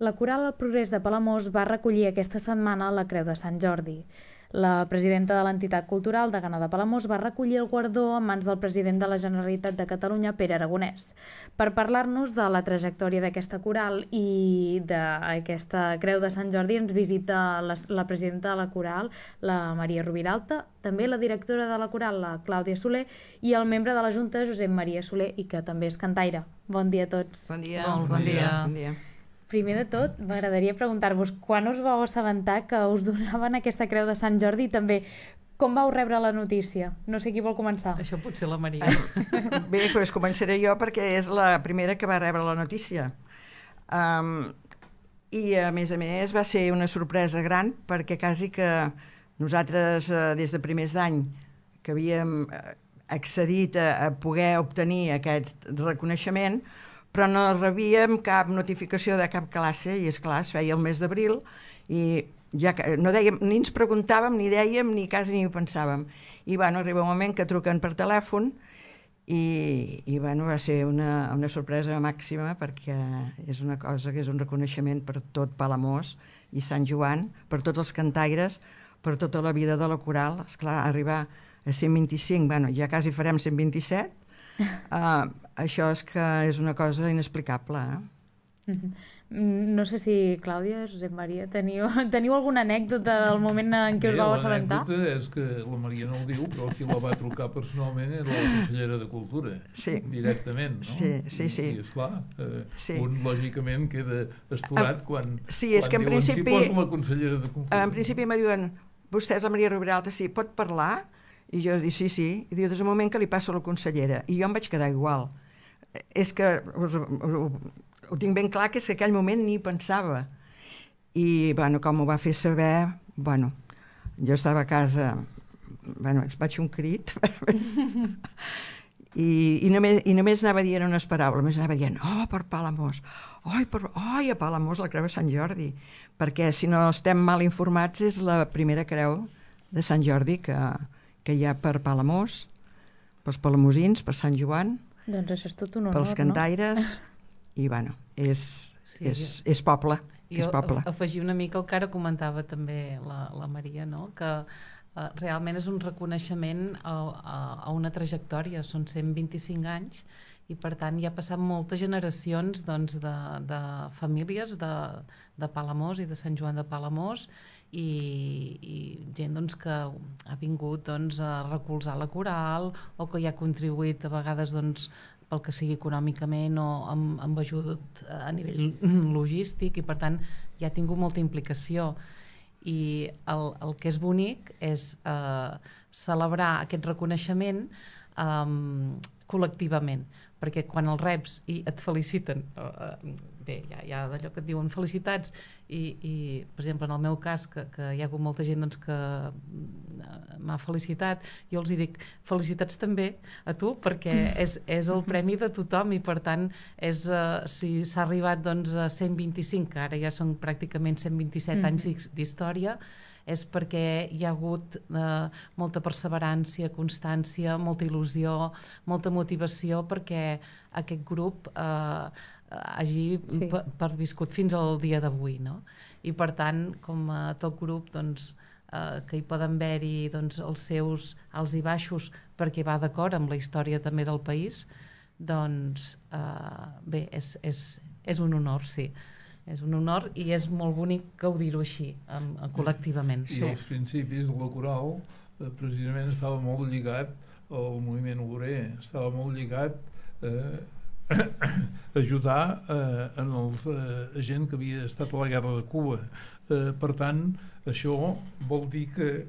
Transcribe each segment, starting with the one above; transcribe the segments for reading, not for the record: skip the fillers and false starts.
La Coral El Progrés de Palamós va recollir aquesta setmana la Creu de Sant Jordi. La presidenta de l'entitat cultural Degana de Palamós va recollir el guardó en mans del president de la Generalitat de Catalunya, Pere Aragonès. Per parlar-nos de la trajectòria d'aquesta coral i d'aquesta Creu de Sant Jordi ens visita la presidenta de la coral, la Maria Rubiralta, també la directora de la coral, la Clàudia Soler, i el membre de la Junta, Josep Maria Soler, i que també és cantaire. Bon dia a tots. Bon dia. Bon dia. Bon dia. Primer de tot, m'agradaria preguntar-vos quan us vau assabentar que us donaven aquesta Creu de Sant Jordi i també com vau rebre la notícia? No sé qui vol començar. Això pot ser la Maria. Bé, doncs començaré jo perquè és la primera que va rebre la notícia. I a més va ser una sorpresa gran perquè quasi que nosaltres des de primers d'any que havíem accedit a poder obtenir aquest reconeixement, però no rebíem cap notificació de cap classe i, esclar, es feia el mes d'abril i ja no dèiem, ni ens preguntàvem, ni dèiem, ni quasi ni ho pensàvem. I arriba un moment que truquen per telèfon i va ser una sorpresa màxima perquè és una cosa que és un reconeixement per tot Palamós i Sant Joan, per tots els cantaires, per tota la vida de la coral. Esclar, arribar a 125, ja quasi farem 127, això és una cosa inexplicable. No sé si, Clàudia, Josep Maria, teniu alguna anècdota del moment en què us vau assabentar? L'anècdota és que la Maria no ho diu, però qui la va trucar personalment era la consellera de Cultura, directament, no? Sí. I esclar, un lògicament queda estorat quan diuen si posa la consellera de Cultura. En principi me diuen, vostè és la Maria Rubiralta, sí, pot parlar? I jo dic, sí. I diu, des del moment que li passo a la consellera. I jo em vaig quedar igual. És que ho tinc ben clar, que és que aquell moment ni pensava. I, com ho va fer saber, jo estava a casa, vaig fer un crit, i només anava dient unes paraules, només anava dient, per Palamós, a Palamós la Creu de Sant Jordi, perquè si no estem mal informats és la primera creu de Sant Jordi que hi ha per Palamós, pels palamosins, per Sant Joan, doncs això és tot un honor, pels cantaires, i és poble. Jo afegir una mica el que ara comentava també la Maria, no? Que realment és un reconeixement a una trajectòria, són 125 anys i per tant hi ha passat moltes generacions de famílies de Palamós i de Sant Joan de Palamós i gent que ha vingut a recolzar la coral o que hi ha contribuït a vegades pel que sigui econòmicament o amb ajut a nivell logístic i per tant ja ha tingut molta implicació i el que és bonic és celebrar aquest reconeixement col·lectivament, perquè quan el reps i et feliciten, bé, hi ha d'allò que et diuen felicitats i per exemple en el meu cas que hi ha hagut molta gent que m'ha felicitat, jo els dic felicitats també a tu perquè és el premi de tothom i per tant si s'ha arribat a 125, que ara ja són pràcticament 127 anys d'història, és perquè hi ha hagut molta perseverància, constància, molta il·lusió, molta motivació perquè aquest grup hagi perviscut fins al dia d'avui, no? I per tant, com a tot grup que hi poden haver-hi els seus alts i baixos perquè va d'acord amb la història també del país, bé, és un honor, sí. És un honor i és molt bonic gaudir-ho així, col·lectivament. I als principis la coral precisament estava molt lligat al moviment obrer, estava molt lligat a ajudar a gent que havia estat a la guerra de Cuba. Per tant, això vol dir que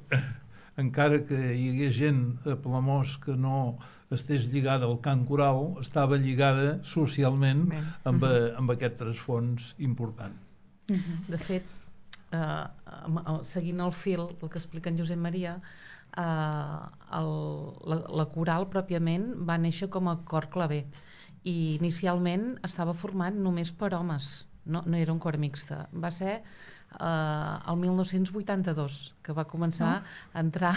encara que hi hagués gent a Palamós que no estés lligada al cant coral, estava lligada socialment amb aquest trasfons important. De fet, seguint el fil del que explica en Josep Maria, la coral pròpiament va néixer com a cor claver i inicialment estava format només per homes, no era un cor mixte. Va ser el 1982 que va començar a entrar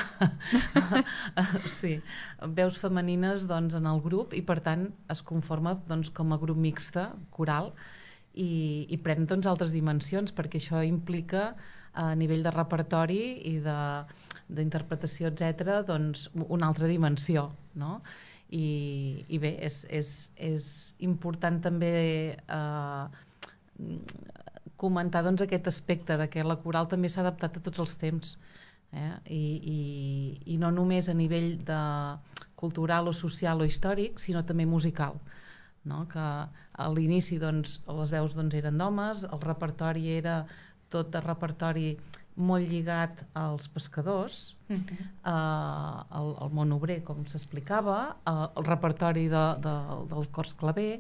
veus femenines en el grup i per tant es conforma com a grup mixte coral i pren doncs altres dimensions, perquè això implica a nivell de repertori i d'interpretació, etc., doncs una altra dimensió, no? I bé, és important també comentar doncs aquest aspecte de que la coral també s'ha adaptat a tots els temps, i no només a nivell de cultural o social o històric, sinó també musical, no? Que a l'inici doncs, les veus doncs, eren d'homes, el repertori era tot de repertori molt lligat als pescadors, al món obrer, com s'explicava, el repertori del cors claver.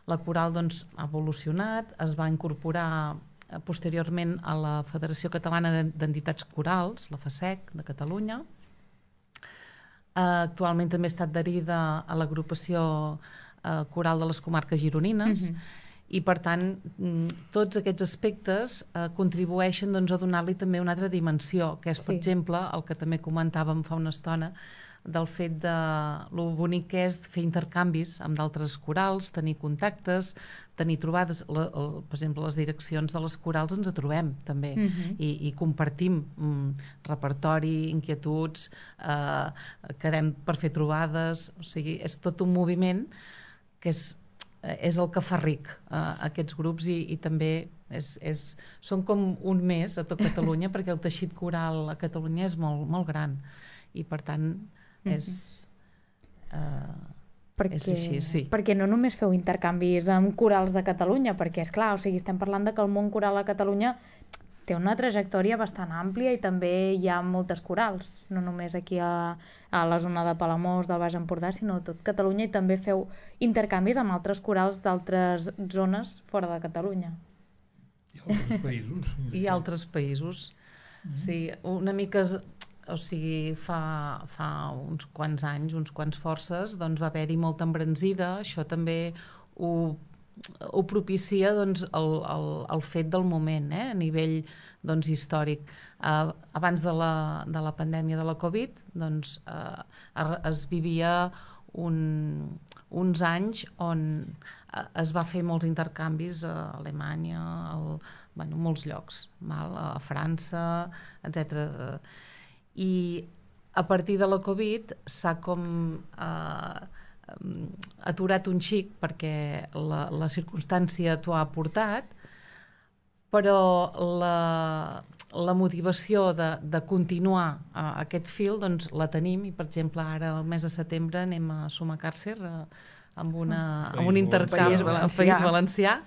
La coral doncs, ha evolucionat, es va incorporar posteriorment a la Federació Catalana d'Entitats Corals, la FACEC, de Catalunya. Actualment també està adherida a l'agrupació coral de les comarques gironines, i per tant tots aquests aspectes contribueixen doncs, a donar-li també una altra dimensió, que és per exemple el que també comentàvem fa una estona, del fet de lo bonic que és fer intercanvis amb d'altres corals, tenir contactes, tenir trobades, per exemple les direccions de les corals ens trobem també, i compartim repertori, inquietuds, quedem per fer trobades, o sigui, és tot un moviment que és el que fa ric aquests grups, i també són com un més a tot Catalunya, perquè el teixit coral a Catalunya és molt, molt gran, i per tant és així, sí. Perquè no només feu intercanvis amb corals de Catalunya, perquè és clar, o sigui, estem parlant de que el món coral a Catalunya té una trajectòria bastant àmplia i també hi ha moltes corals, no només aquí a la zona de Palamós, del Baix Empordà, sinó a tot Catalunya, i també feu intercanvis amb altres corals d'altres zones fora de Catalunya. I altres països. I altres països. Sí, una mica... O sigui, fa uns quants anys, uns quants forces, doncs va haver-hi molta embranzida. Això també ho propicia doncs, el fet del moment, a nivell doncs, històric. Abans de la pandèmia de la Covid doncs, es vivia uns anys on es va fer molts intercanvis a Alemanya, molts llocs, a França, etc. I a partir de la Covid s'ha com aturat un xic, perquè la circumstància t'ho ha portat, però la motivació de continuar aquest fil doncs la tenim, i per exemple ara el mes de setembre anem a Sumacàrcer amb un intercanvi al País Valencià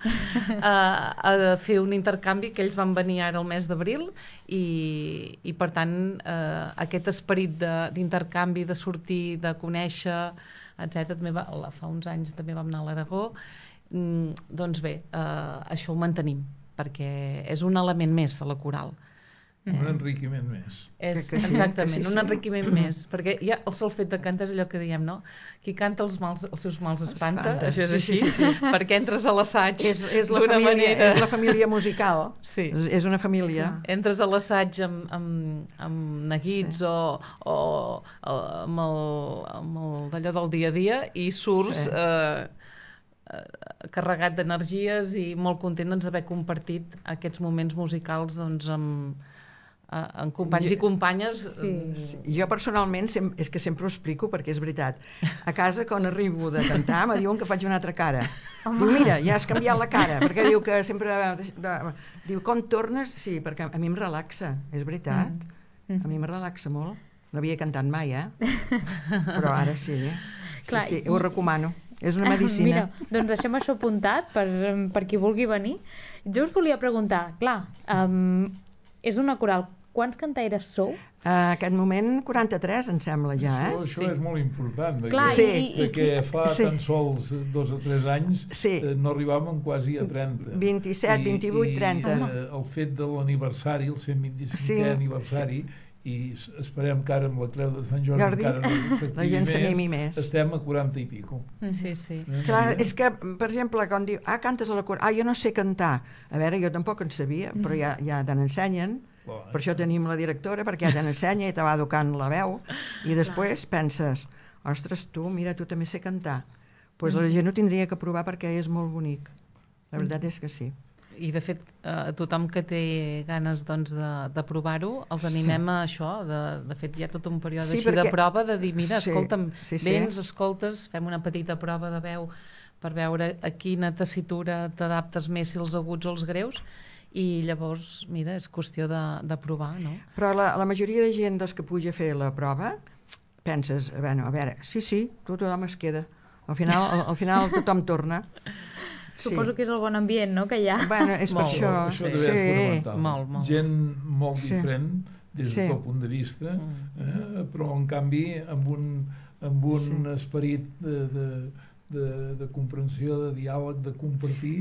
a fer un intercanvi, que ells van venir ara el mes d'abril, i per tant aquest esperit d'intercanvi, de sortir, de conèixer, etc. Fa uns anys també vam anar a l'Aragó. Doncs bé, això ho mantenim, perquè és un element més de la coral. Un enriquiment més. Exactament, un enriquiment més, perquè ja el sol fet de cantar és allò que diem, no? Qui canta els seus mals espanta, això és així, perquè entres a l'assaig d'una manera... És la família musical, és una família. Entres a l'assaig amb neguits o amb d'allò del dia a dia, i surts carregat d'energies i molt content d'haver compartit aquests moments musicals amb companys i companyes. Jo personalment és que sempre ho explico, perquè és veritat, a casa quan arribo de cantar me diuen que faig una altra cara. Diu, mira, ja has canviat la cara, perquè diu que sempre diu, com tornes? Sí, perquè a mi em relaxa, és veritat, a mi em relaxa molt. No havia cantat mai, però ara sí, sí, ho recomano. És una medicina. Mira, doncs deixem això apuntat per qui vulgui venir. Jo us volia preguntar, clar, és una coral, quants cantaires sou? En aquest moment 43, em sembla, ja, Això és molt important, perquè fa tan sols 2 o 3 anys no arribàvem quasi a 30. 27, 28, 30. El fet de l'aniversari, el 125è aniversari, i esperem que ara amb la Creu de Sant Jordi encara no s'activi més, estem a 40 i pico. Sí. Clar, és que, per exemple, quan diu, cantes a la coral, jo no sé cantar. A veure, jo tampoc en sabia, però ja te n'ensenyen, per això tenim la directora, perquè ja te n'ensenya i te va educant la veu, i després penses, ostres, tu, mira, tu també sé cantar. Doncs la gent ho tindria que provar, perquè és molt bonic. La veritat és que sí. I de fet, tothom que té ganes doncs, de provar-ho, els animem a això. De fet, hi ha tot un període així de prova, de dir, mira, escolta'm, vens, escoltes, fem una petita prova de veu per veure a quina tessitura t'adaptes més, si els aguts o els greus, i llavors, mira, és qüestió de provar, no? Però la majoria de gent que puja a fer la prova, penses, a veure, sí, tothom es queda. Al final tothom torna. Suposo que és el bon ambient, no?, que hi ha. Bueno, és per això. Això deve ser fonamental. Molt. Gent molt diferent des del punt de vista, però en canvi amb un esperit de comprensió, de diàleg, de compartir,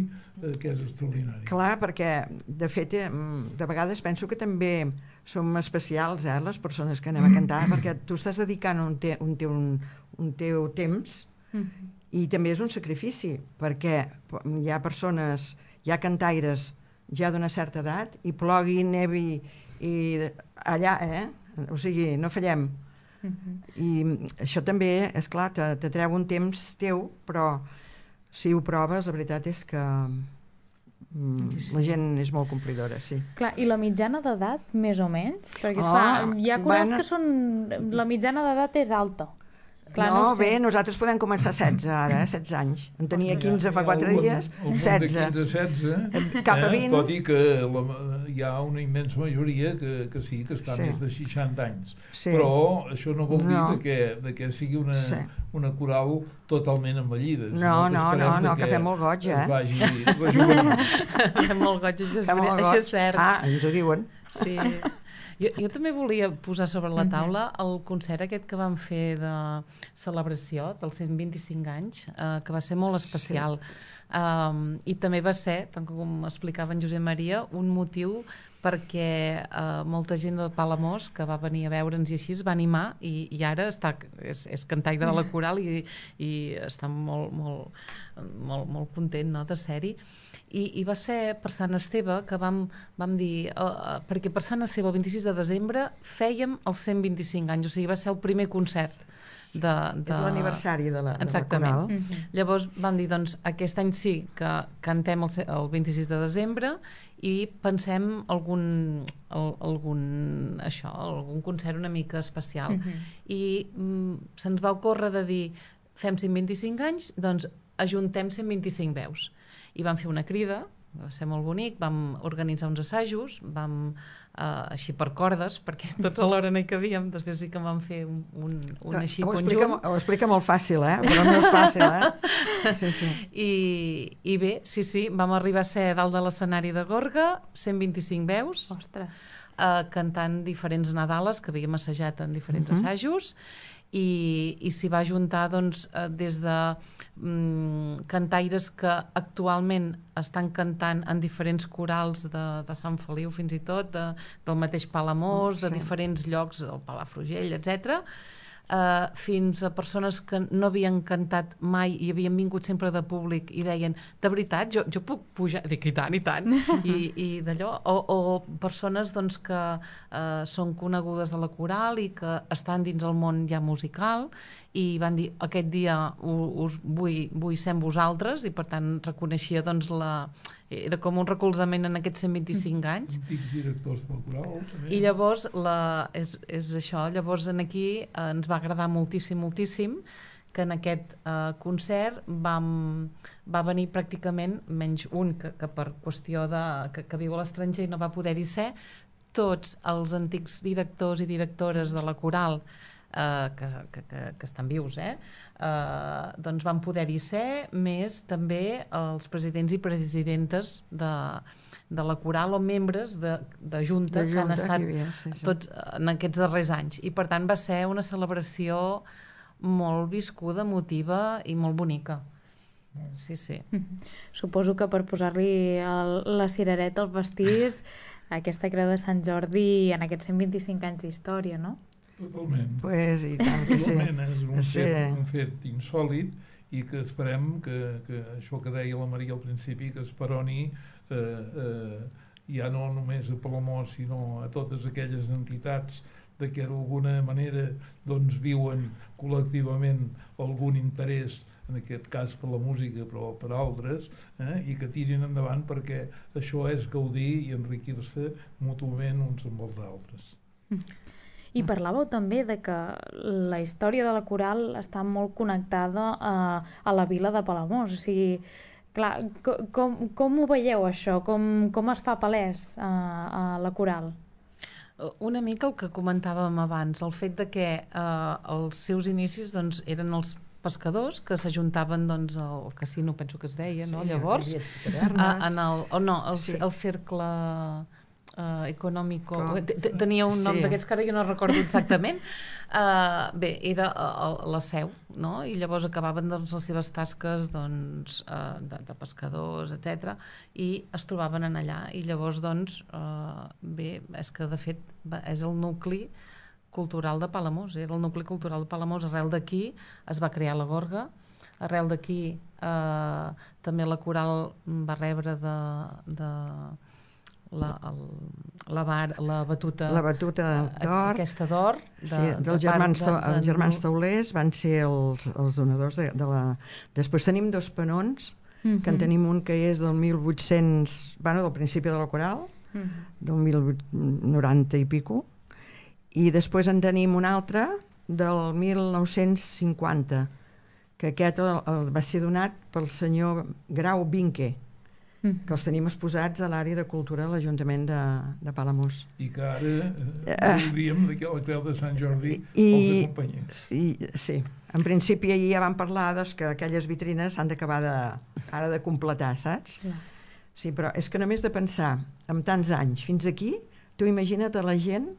que és extraordinari. Clar, perquè de fet de vegades penso que també som especials, les persones que anem a cantar, perquè tu estàs dedicant un teu temps i també és un sacrifici, perquè hi ha persones, hi ha cantaires ja d'una certa edat, i plogui, nevi, i allà, o sigui, no fallem. I això també, és clar, te treu un temps teu, però si ho proves, la veritat és que la gent és molt complidora, sí. Clar, i la mitjana d'edat, més o menys? Perquè, esclar, hi ha corals que són... La mitjana d'edat és alta. Clar, no sé. Bé, nosaltres podem començar 16 ara, 16 anys. En tenia 15 fa 4 dies, 16. De 15-16, cap a 20. Tot i que hi ha una immensa majoria que sí, que està més de 60 anys. Però això no vol dir que sigui una coral totalment envellida. No, que fem molt goig, Fem molt goig, això és cert. Ens ho diuen. Sí. Jo també volia posar sobre la taula el concert aquest que vam fer de celebració dels 125 anys, que va ser molt especial. I també va ser, tant com explicava en Josep Maria, un motiu perquè molta gent de Palamós que va venir a veure'ns i així es va animar i ara és cantaire de la coral i està molt content, no, de ser-hi. I va ser per Sant Esteve que vam dir, perquè per Sant Esteve el 26 de desembre fèiem els 125 anys, o sigui, va ser el primer concert. És l'aniversari de la coral. Llavors vam dir, doncs, aquest any sí que cantem el 26 de desembre i pensem algun concert una mica especial. I se'ns va ocórrer de dir, fem 125 anys, doncs ajuntem 125 veus. I vam fer una crida, va ser molt bonic, vam organitzar uns assajos, vam així per cordes, perquè tots alhora no hi cabíem, després sí que vam fer un així conjunt. Ho explica molt fàcil, però no és fàcil, Sí. I bé, sí, vam arribar a ser dalt de l'escenari de Gorga, 125 veus, cantant diferents Nadales que havíem assajat en diferents assajos, i s'hi va juntar doncs, des de cantaires que actualment estan cantant en diferents corals de Sant Feliu fins i tot, del mateix Palamós, de diferents llocs, del Palafrugell, etc., fins a persones que no havien cantat mai i havien vingut sempre de públic i deien, de veritat, jo puc pujar? Dic, i tant, i d'allò, o persones doncs, que són conegudes de la coral i que estan dins el món ja musical i van dir, aquest dia us vull ser amb vosaltres, i per tant reconeixia doncs era com un recolzament en aquests 125 anys. Antics directors del coral, també. I llavors, és això, llavors aquí ens va agradar moltíssim que en aquest concert va venir pràcticament, menys un que per qüestió que viu a l'estranger i no va poder-hi ser, tots els antics directors i directores de la coral que estan vius, doncs van poder-hi ser, més també els presidents i presidentes de la coral o membres de junta que han estat tots en aquests darrers anys. I per tant va ser una celebració molt viscuda, emotiva i molt bonica. Sí. Suposo que per posar-li la cirereta al pastís, aquesta creu de Sant Jordi en aquests 125 anys d'història, no? Totalment. Pues, i tant que sí. És un fet insòlid i que esperem que això que deia la Maria al principi, que esperoni ja no només a Palamós, sinó a totes aquelles entitats que d'alguna manera doncs, viuen col·lectivament algun interès en aquest cas per la música, però per altres, i que tirin endavant, perquè això és gaudir i enriquir-se mútuament uns amb els altres. I parlàveu també de que la història de la coral està molt connectada a la vila de Palamós. O sigui, clar, com ho veieu això? Com es fa palès a la coral? Una mica el que comentàvem abans, el fet de que els seus inicis doncs, eren els pescadors que s'ajuntaven doncs, al casino, penso que es deia, no? Llavors, el cercle econòmico, tenia un nom d'aquests que ara jo no recordo exactament, bé, era la seu, no? I llavors acabaven doncs, les seves tasques doncs, de pescadors, etc. I es trobaven en allà, i llavors doncs, bé, és que de fet és el nucli cultural de Palamós, era el nucli cultural de Palamós. Arrel d'aquí es va crear la Gorga, arrel d'aquí també la coral va rebre la batuta d'or, aquesta d'or dels germans Taulers van ser els donadors de la... Després tenim 2 penons, que en tenim un que és del 1800, bueno, del principi de la coral, del 1890 i pico, i després en tenim un altre del 1950, que aquest va ser donat pel senyor Grau Vinque, que els tenim exposats a l'àrea de cultura de l'Ajuntament de Palamós. I que ara diríem que la Creu de Sant Jordi els acompanyés. Sí, en principi ahir ja vam parlar que aquelles vitrines s'han d'acabar ara de completar, saps? Sí, però és que només de pensar en tants anys fins aquí, tu imagina't a la gent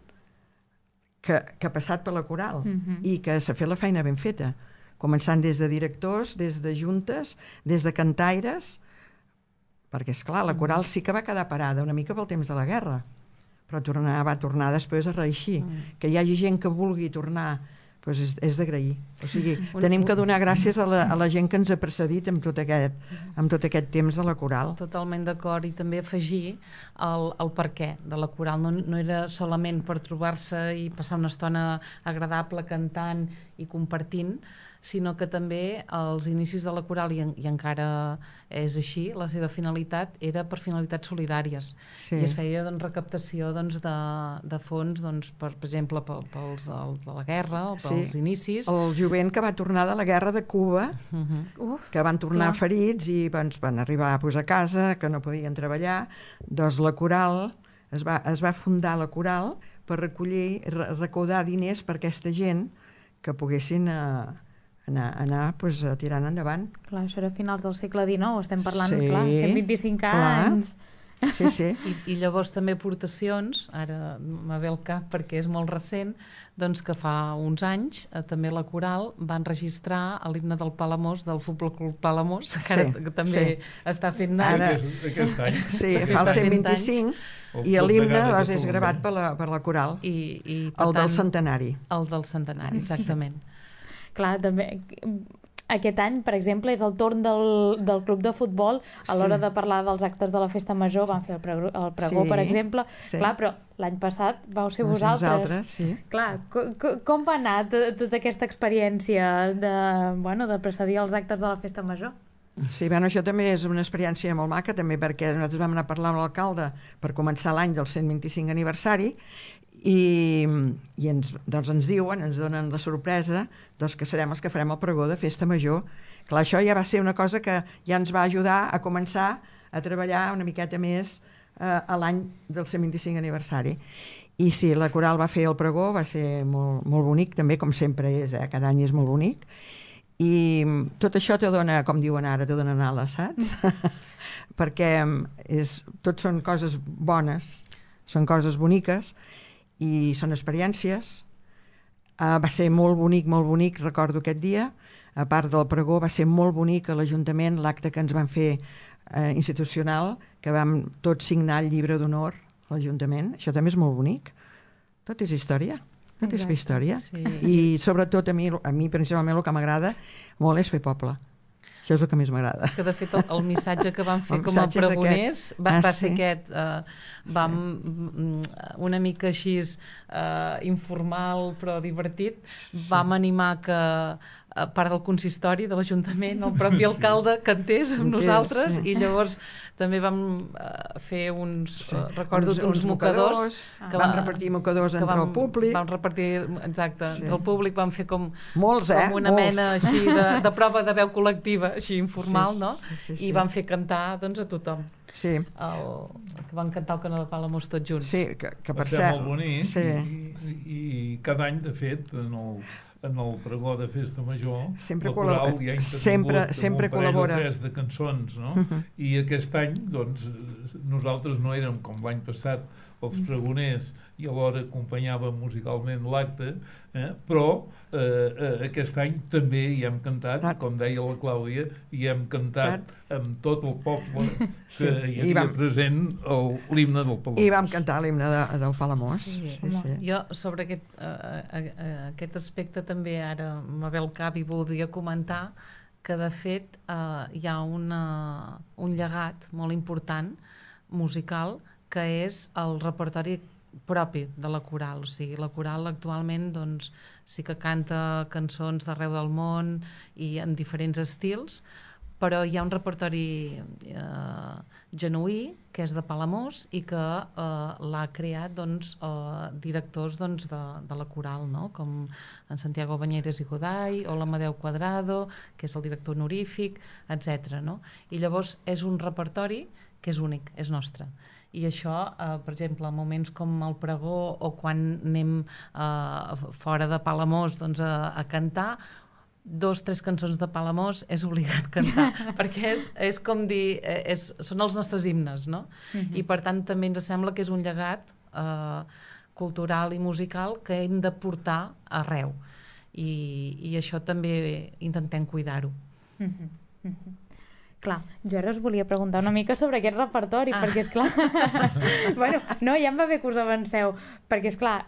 que ha passat per la coral i que s'ha fet la feina ben feta, començant des de directors, des de juntes, des de cantaires, perquè, esclar, la coral sí que va quedar parada una mica pel temps de la guerra, però va tornar després a reeixir. Que hi hagi gent que vulgui tornar, doncs és d'agrair. O sigui, tenim que donar gràcies a la gent que ens ha precedit amb tot aquest temps de la coral. Totalment d'acord, i també afegir el perquè de la coral. No era solament per trobar-se i passar una estona agradable cantant i compartint, sinó que també als inicis de la coral, i encara és així, la seva finalitat era per finalitats solidàries. I es feia recaptació de fons, per exemple, pels de la guerra o pels inicis. El jovent que va tornar de la guerra de Cuba, que van tornar ferits i van arribar a posar a casa, que no podien treballar, doncs la coral, es va fundar la coral per recaudar diners per aquesta gent que poguessin anar tirant endavant. Clar, això era a finals del segle XIX, estem parlant, 125 anys. Sí. I llavors també aportacions, ara me ve el cap perquè és molt recent, doncs que fa uns anys també la coral va enregistrar l'himne del Palamós, del Futbol Club Palamós, que també està fent anys. Aquest any. Sí, fa el 125, i l'himne és gravat per la coral, el del centenari. El del centenari, exactament. Clar, també aquest any, per exemple, és el torn del club de futbol a l'hora de parlar dels actes de la festa major. Van fer el pregó, per exemple. Clar, però l'any passat vau ser vosaltres. Clar, com va anar tota aquesta experiència de precedir els actes de la festa major? Sí, bueno, això també és una experiència molt maca, també perquè nosaltres vam anar a parlar amb l'alcalde per començar l'any del 125 aniversari, i ens diuen, ens donen la sorpresa que serem els que farem el pregó de festa major. Clar, això ja va ser una cosa que ja ens va ajudar a començar a treballar una miqueta més a l'any del 125 aniversari. I sí, la coral va fer el pregó, va ser molt, molt bonic, també, com sempre és, cada any és molt bonic. I tot això te dona, com diuen ara, te donen ales, saps? Perquè tot són coses bones, són coses boniques, i són experiències. Va ser molt bonic, recordo aquest dia. A part del pregó, va ser molt bonic a l'Ajuntament l'acte que ens van fer institucional, que vam tots signar el llibre d'honor a l'Ajuntament. Això també és molt bonic. Tot és història. Tot és fer història. I sobretot a mi principalment el que m'agrada molt és fer poble. Això és el que més m'agrada. Que de fet el missatge que vam fer com a pregoners va ser aquest. Vam una mica així informal però divertit. Vam animar que a part del consistori de l'Ajuntament, el propi alcalde cantés amb nosaltres, i llavors també vam fer recordo uns mocadors que vam repartir mocadors entre el públic. Vam repartir, exacte, entre el públic vam fer com una molts. mena així de prova de veu col·lectiva, així informal, no? Sí. I vam fer cantar, doncs, a tothom. Sí. Que van cantar el Canó de Palamós tots junts. Sí, que per ser cert... molt bonic, sí. i cada any, de fet, en el pregó de Festa Major, sempre el coral ja ha intervingut un parell o tres de cançons, no? I aquest any, doncs, nosaltres no érem com l'any passat els pregoners i alhora acompanyàvem musicalment l'acte, però aquest any també hi hem cantat, com deia la Clàudia, hi hem cantat amb tot el poble que hi havia present l'himne del Palamós. I vam cantar l'himne del Palamós. Sí. Jo sobre aquest aspecte també ara me ve al cap i voldria comentar que de fet hi ha un llegat molt important musical que és el repertori propi de la coral. O sigui, la coral actualment doncs, sí que canta cançons d'arreu del món i en diferents estils, però hi ha un repertori genuí que és de Palamós i que l'ha creat doncs, directors doncs, de la coral, no? Com en Santiago Bañeres i Goday o l'Amadeu Cuadrado, que és el director honorífic, etc. No? I llavors és un repertori que és únic, és nostre. I això, per exemple, en moments com el pregó o quan anem fora de Palamós doncs, a cantar, 2-3 cançons de Palamós és obligat cantar, perquè és com dir, són els nostres himnes, no? I per tant també ens sembla que és un llegat cultural i musical que hem de portar arreu. I això també intentem cuidar-ho. Clar, jo ara us volia preguntar una mica sobre aquest repertori, perquè és clar... bueno, no, ja em va bé que us avanceu, perquè és clar,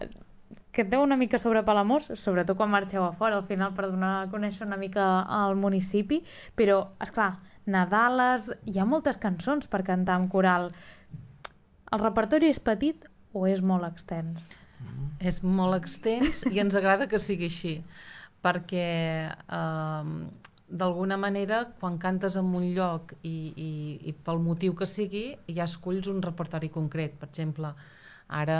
canteu una mica sobre Palamós, sobretot quan marxeu a fora, al final per donar a conèixer una mica el municipi, però, és clar, Nadales, hi ha moltes cançons per cantar amb coral. El repertori és petit o és molt extens? És molt extens i ens agrada que sigui així, perquè... d'alguna manera, quan cantes en un lloc i pel motiu que sigui, ja esculls un repertori concret. Per exemple, ara,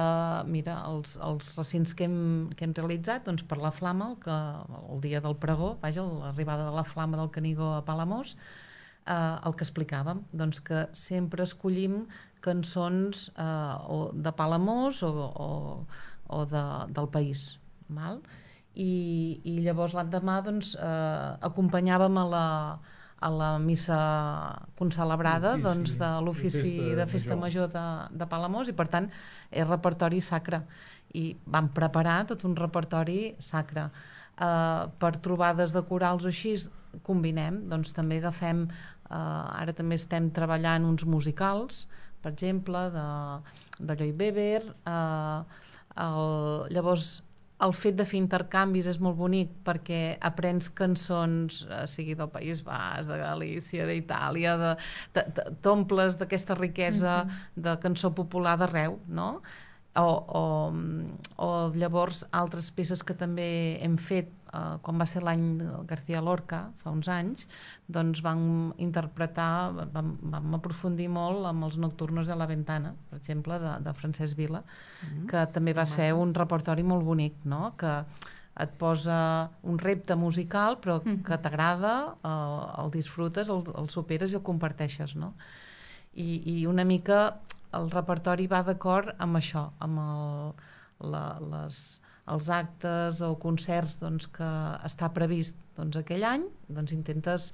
mira, els recents que hem realitzat, doncs per la Flama, el dia del pregó, l'arribada de la Flama del Canigó a Palamós, el que explicàvem, doncs que sempre escollim cançons de Palamós o del país, val? I llavors l'endemà doncs, acompanyàvem a la missa concelebrada doncs, de l'ofici de Festa Major de Palamós, i per tant és repertori sacre, i vam preparar tot un repertori sacre. Per trobades de corals o així combinem, doncs també agafem, ara també estem treballant uns musicals, per exemple de Lloyd Webber, llavors el fet de fer intercanvis és molt bonic perquè aprens cançons, sigui del País Basc, de Galícia, d'Itàlia, t'omples d'aquesta riquesa de cançó popular d'arreu, no? O llavors altres peces que també hem fet, quan va ser l'any García Lorca, fa uns anys, doncs vam interpretar, vam aprofundir molt amb els Nocturnos de la Ventana, per exemple, de Francesc Vila, que també va ser un repertori molt bonic, no? Que et posa un repte musical, però que t'agrada, el disfrutes, el superes i el comparteixes, no? I una mica el repertori va d'acord amb això, amb els actes o concerts doncs, que està previst doncs, aquell any, doncs intentes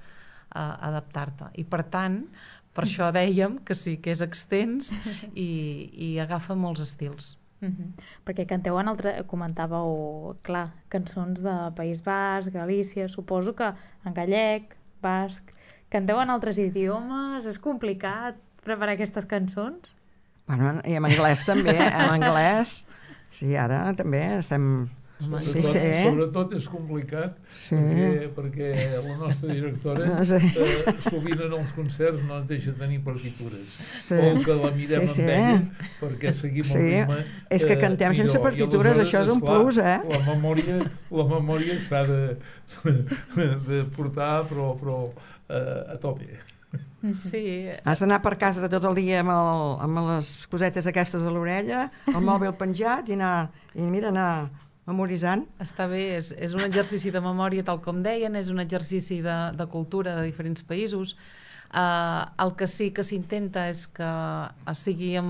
adaptar-te. I per tant, per això dèiem que sí, que és extens i agafa molts estils. Perquè canteu comentàveu, clar, cançons de País Basc, Galícia, suposo que en gallec, basc... Canteu en altres idiomes? És complicat preparar aquestes cançons? Bueno, i en anglès també, en anglès... Sí, ara també estem Sobretot és complicat perquè la nostra directora sovint en els concerts no ens deixa tenir partitures o que la mirem amb ella perquè seguim el ritme. És que cantem sense partitures, això és un plus, La memòria s'ha de portar però a tope. Sí. Has d'anar per casa tot el dia amb les cosetes aquestes a l'orella, el mòbil penjat i anar memoritzant. Està bé, és un exercici de memòria, tal com deien, és un exercici de cultura de diferents països. El que sí que s'intenta és que sigui amb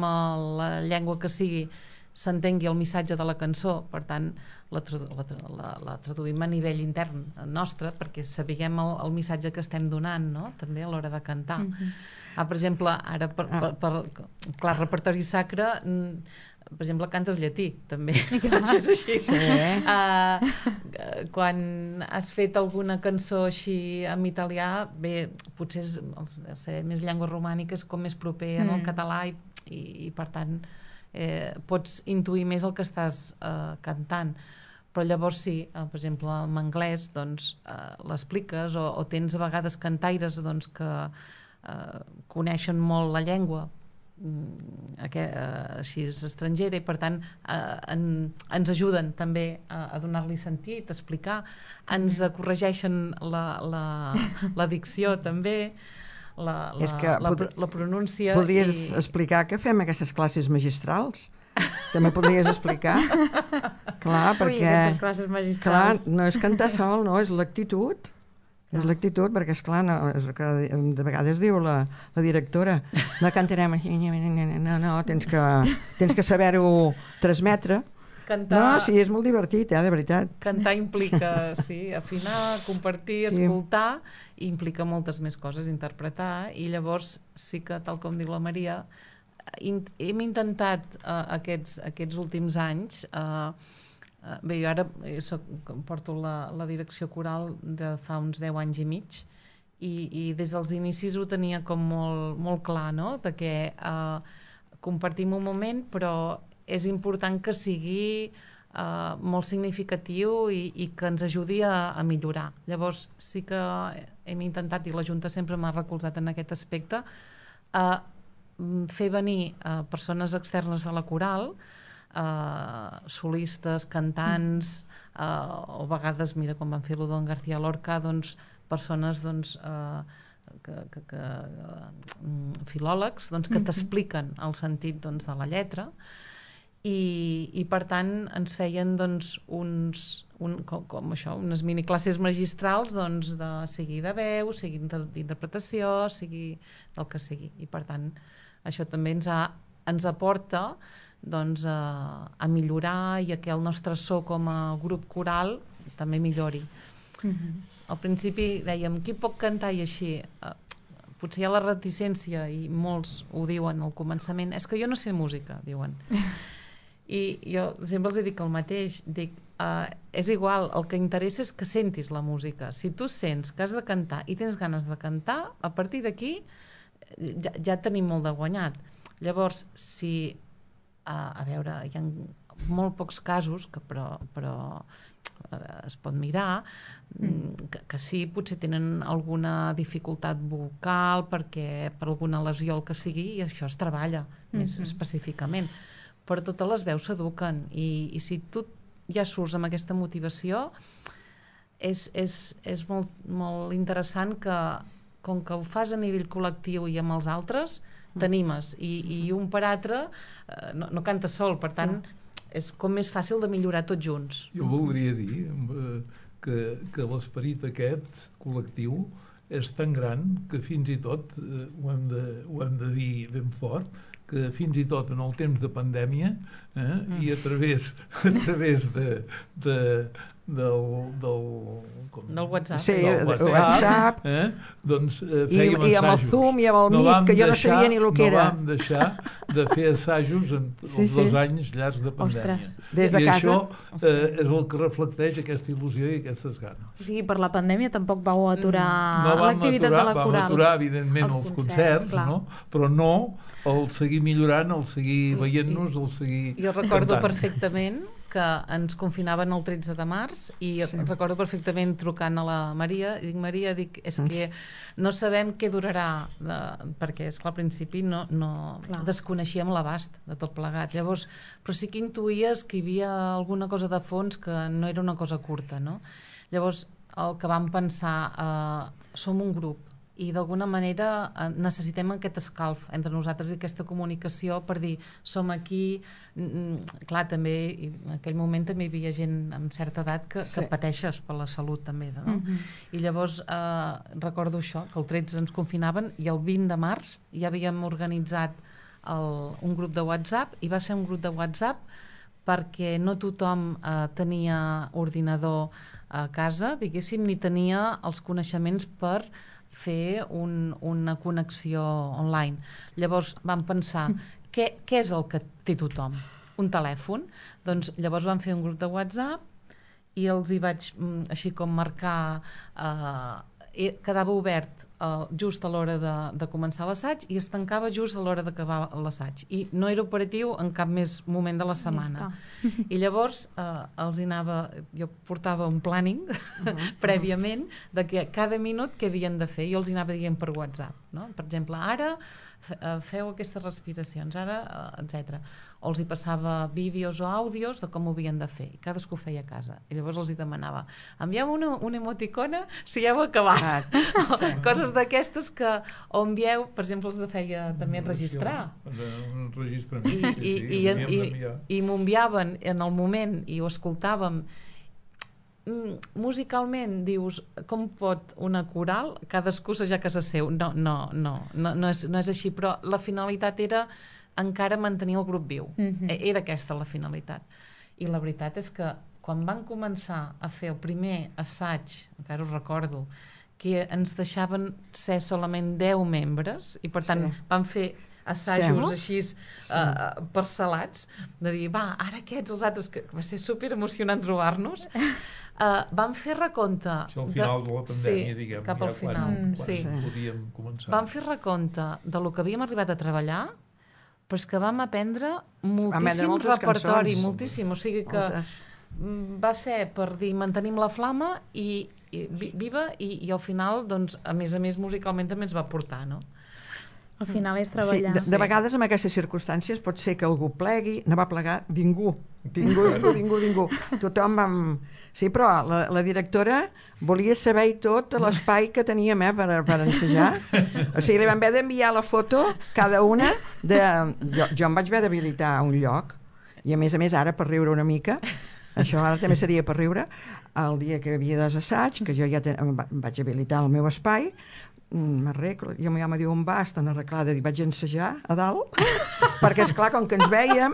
la llengua que sigui, s'entengui el missatge de la cançó, per tant la traduïm a nivell intern nostre perquè sapiguem el missatge que estem donant, no? També a l'hora de cantar. Per exemple, ara clar, repertori sacre, per exemple, cantes llatí també. Això és així. Quan has fet alguna cançó així en italià, bé, potser ser més llengua romànica és com més proper al català i per tant pots intuir més el que estàs cantant. Però llavors sí, per exemple, en anglès doncs, l'expliques o tens a vegades cantaires doncs, que coneixen molt la llengua així és estrangera i per tant ens ajuden també a donar-li sentit, a explicar, ens corregeixen la dicció també, la pronúncia. Podries explicar que fem aquestes classes magistrals? També podries explicar? Clar, perquè aquestes classes magistrals. Clar, no és cantar sol, no, és l'actitud. És l'actitud, perquè esclar, és el que de vegades diu la directora, no cantarem així, no, tens que saber-ho transmetre. No, sí, és molt divertit, de veritat. Cantar implica, sí, afinar, compartir, escoltar, i implica moltes més coses, interpretar, i llavors sí que, tal com diu la Maria, hem intentat aquests últims anys, bé, jo ara porto la direcció coral de fa uns 10 anys i mig i des dels inicis ho tenia com molt clar, no? De que compartim un moment però és important que sigui molt significatiu i que ens ajudi a millorar. Llavors sí que hem intentat, i la Junta sempre m'ha recolzat en aquest aspecte, fer venir persones externes a la coral, solistes, cantants, o a vegades, mira, com van fer-ho d'en García Lorca, doncs, persones filòlegs que t'expliquen el sentit de la lletra i per tant ens feien unes miniclasses magistrals sigui de veu, sigui d'interpretació, sigui del que sigui, i per tant això també ens aporta a millorar i a que el nostre so com a grup coral també millori. Al principi dèiem, qui pot cantar i així? Potser hi ha la reticència i molts ho diuen al començament, és que jo no sé música, diuen. I jo sempre els dic el mateix, dic, és igual, el que interessa és que sentis la música. Si tu sents que has de cantar i tens ganes de cantar, a partir d'aquí ja tenim molt de guanyat. Llavors, si a veure, hi ha molt pocs casos però es pot mirar que sí, potser tenen alguna dificultat vocal perquè per alguna lesió el que sigui i això es treballa més específicament, però totes les veus s'eduquen i si tu ja surts amb aquesta motivació és molt interessant que com que ho fas a nivell col·lectiu i amb els altres t'animes i un per altre no canta sol, per tant és com més fàcil de millorar tots junts. Jo voldria dir que l'esperit aquest col·lectiu és tan gran que fins i tot ho hem de dir ben fort, que fins i tot en el temps de pandèmia i a través del WhatsApp. Sí, del WhatsApp. Doncs fèiem assajos. I amb el Zoom i amb el Meet, que jo no sabia ni el que era. No vam deixar de fer assajos en els 2 anys llargs de pandèmia. Des de casa. I això és el que reflecteix aquesta il·lusió i aquestes ganes. O sigui, per la pandèmia tampoc vau aturar l'activitat de la coral. Vam aturar, evidentment, els concerts, però no el seguir millorant, el seguir veient-nos, el seguir jo recordo perfectament que ens confinaven el 13 de març i recordo perfectament trucant a la Maria i dic, Maria, és que no sabem què durarà, perquè és clar, al principi no desconeixíem l'abast de tot plegat. Llavors, però sí que intuïes que hi havia alguna cosa de fons que no era una cosa curta, no? Llavors, el que vam pensar, som un grup i d'alguna manera necessitem aquest escalf entre nosaltres i aquesta comunicació per dir, som aquí. Clar, també en aquell moment també hi havia gent amb certa edat que pateixes per la salut també, no? I llavors recordo això, que el 13 ens confinaven i el 20 de març ja havíem organitzat un grup de WhatsApp, i va ser un grup de WhatsApp perquè no tothom tenia ordinador a casa, diguéssim, ni tenia els coneixements per fer una connexió online. Llavors vam pensar, què és el que té tothom? Un telèfon? Doncs llavors vam fer un grup de WhatsApp i els hi vaig així com marcar, quedava obert just a l'hora de començar l'assaig i es tancava just a l'hora d'acabar l'assaig, i no era operatiu en cap més moment de la setmana. I llavors jo portava un planning prèviament de que cada minut què havien de fer, jo els hi anava dient per WhatsApp, no? Per exemple, ara feu aquestes respiracions, ara, etc. O els hi passava vídeos o àudios de com ho havien de fer, i cadascú ho feia a casa, i llavors els hi demanava, envieu una emoticona si ja heu acabat. Coses d'aquestes que o envieu, per exemple, els feia també enregistrar. I m'ho enviaven en el moment i ho escoltàvem. Musicalment dius, com pot una coral cadascú assajar a casa seu? No és així, però la finalitat era encara mantenir el grup viu. Era aquesta la finalitat. I la veritat és que quan van començar a fer el primer assaig, encara ho recordo, que ens deixaven ser solament 10 membres, i per tant vam fer assajos així parcel·lats, de dir, va, ara aquests, els altres, que va ser super emocionant trobar-nos. Vam fer recompte. Això al final de la pandèmia, diguem, cap al final. Quan podíem començar. Vam fer recompte de lo que havíem arribat a treballar, però és que vam aprendre moltíssim repertori, moltíssim, o sigui que va ser per dir, mantenim la flama i viva, i al final, doncs, a més musicalment també ens va portar, no? Al final és treballar. De vegades, en aquestes circumstàncies, pot ser que algú plegui, no va plegar ningú. Tothom vam... Sí, però la directora volia saber i tot l'espai que teníem per ensejar. O sigui, li vam haver d'enviar la foto, cada una, jo em vaig haver d'habilitar un lloc, i a més, ara, per riure una mica, això ara també seria per riure, el dia que hi havia dos assaigs, que jo ja vaig habilitar el meu espai, m'arreglo, jo ja me diu on vas, tan arreglada, i vaig ensejar a dalt, perquè esclar, com que ens veiem,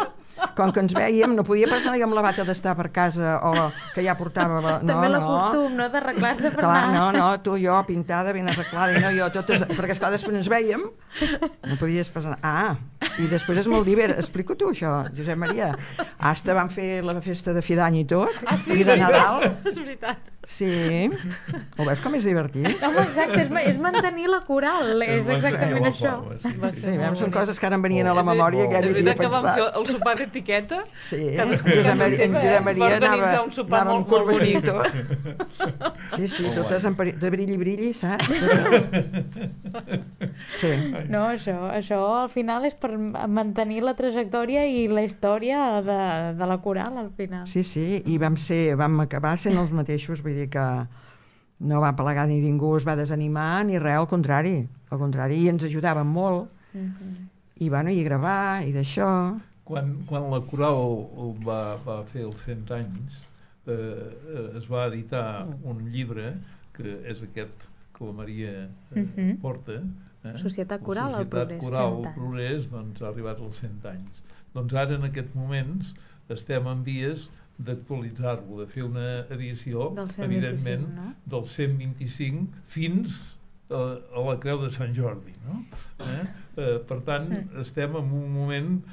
no podia passar jo amb la bata d'estar per casa o que ja portava... També l'acostum, no?, d'arreglar-se per anar. No, tu, jo, pintada, ben arreglada, i no, jo, totes... Perquè, esclar, després ens veiem, no podies passar... I després és molt divert. Explico tu, això, Josep Maria. Hasta van fer la festa de fi d'any i tot, i de Nadal. És veritat. Sí. Ho veus com és divertit? Home, exacte, és mantenir la coral, és exactament això. Sí, són coses que ara em venien a la memòria que ja havia pensat. És veritat que vam fer el sopar d'etiqueta? Sí, Josep Maria anava amb corbaní i tot. Sí, totes de brilli, saps? Sí. No, això al final és per mantenir la trajectòria i la història de la coral, al final. Sí, i vam acabar sent els mateixos, vull dir que no va plegar ni ningú es va desanimar ni res, al contrari, i ens ajudaven molt, i gravar, i d'això. Quan la coral va fer els 100 anys, es va editar un llibre, que és aquest que la Maria porta, Societat Coral al Progrés, Coral al Progrés, doncs ha arribat als 100 anys. Doncs ara, en aquests moments, estem en vies d'actualitzar-lo, de fer una edició, evidentment, del 125 fins a la Creu de Sant Jordi, no? Per tant, estem en un moment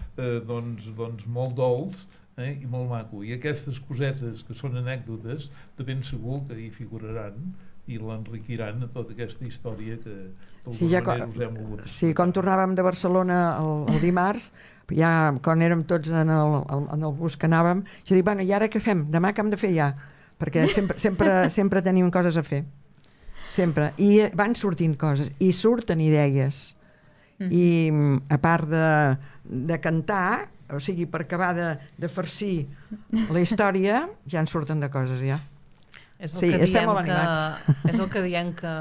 doncs molt dolç i molt maco, i aquestes cosetes que són anècdotes de ben segur que hi figuraran, i l'enriquiran a tota aquesta història que Sí, ja, us hem volgut. sí, quan tornàvem de Barcelona el dimarts, ja quan érem tots en el bus que anàvem, jo dic, bueno, i ara què fem? Demà què hem de fer ja? Perquè sempre tenim coses a fer. Sempre. I van sortint coses, i surten idees. I a part de cantar, o sigui, per acabar de farcir la història, ja en surten de coses, ja. És el Sí, que estem diem molt animats. és el que diem que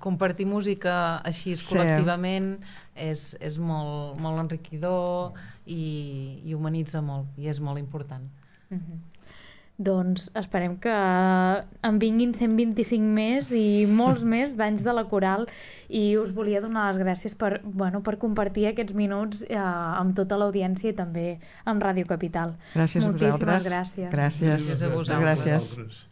compartir música així Sí. col·lectivament és molt, molt enriquidor i humanitza molt, i és molt important. Doncs esperem que en vinguin 125 més i molts més d'anys de la Coral, i us volia donar les gràcies per compartir aquests minuts amb tota l'audiència i també amb Ràdio Capital. Gràcies a vosaltres. Moltíssimes gràcies. Gràcies. Gràcies a vosaltres. Gràcies.